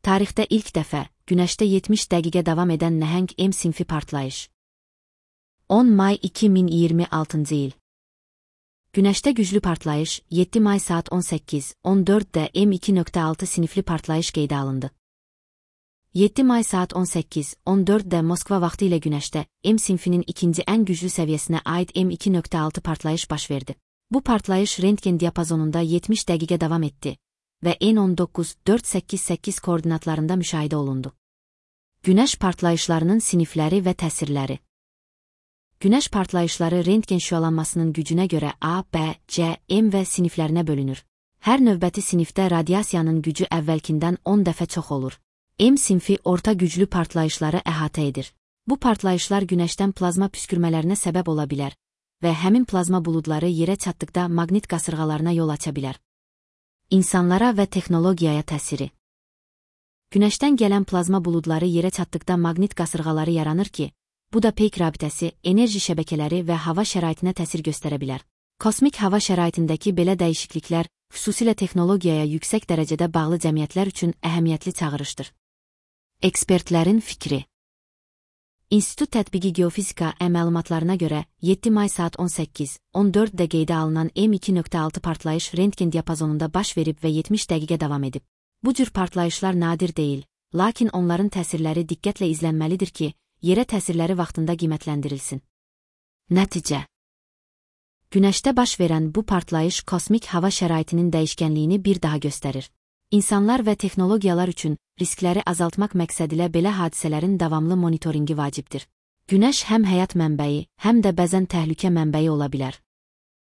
Tarixdə ilk dəfə, Günəşdə 70 dəqiqə davam edən nəhəng M sinfi partlayış. 10 may 2026-cı il. Günəşdə güclü partlayış 7 may saat 18:14-də M2.6 sinifli partlayış qeydə alındı. 7 may saat 18:14-də Moskva vaxtı ilə Günəşdə M sinfinin ikinci ən güclü səviyyəsinə aid M2.6 partlayış baş verdi. Bu partlayış rentgen diapazonunda 70 dəqiqə davam etdi və N19-488 koordinatlarında müşahidə olundu. Günəş partlayışlarının sinifləri və təsirləri. Günəş partlayışları rentgen şüalanmasının gücünə görə A, B, C, M və siniflərinə bölünür. Hər növbəti sinifdə radiasiyanın gücü əvvəlkindən 10 dəfə çox olur. M sinfi orta güclü partlayışları əhatə edir. Bu partlayışlar Günəşdən plazma püskürmələrinə səbəb ola bilər və həmin plazma buludları yerə çatdıqda maqnit qasırğalarına yol aça bilər. İnsanlara və texnologiyaya təsiri. Günəşdən gələn plazma buludları yerə çatdıqda maqnit qasırğaları yaranır ki, bu da peyk rabitəsi, enerji şəbəkələri və hava şəraitinə təsir göstərə bilər. Kosmik hava şəraitindəki belə dəyişikliklər, xüsusilə texnologiyaya yüksək dərəcədə bağlı cəmiyyətlər üçün əhəmiyyətli çağırışdır. Ekspertlərin fikri. İnstitut Tətbiqi Geofizika məlumatlarına görə 7 may saat 18:14-də qeydə alınan M2.6 partlayış rentgen diapazonunda baş verib və 70 dəqiqə davam edib. Bu cür partlayışlar nadir deyil, lakin onların təsirləri diqqətlə izlənməlidir ki, yerə təsirləri vaxtında qiymətləndirilsin. Nəticə. Günəşdə baş verən bu partlayış kosmik hava şəraitinin dəyişkənliyini bir daha göstərir. İnsanlar və texnologiyalar üçün riskləri azaltmaq məqsədilə belə hadisələrin davamlı monitoringi vacibdir. Günəş həm həyat mənbəyi, həm də bəzən təhlükə mənbəyi ola bilər.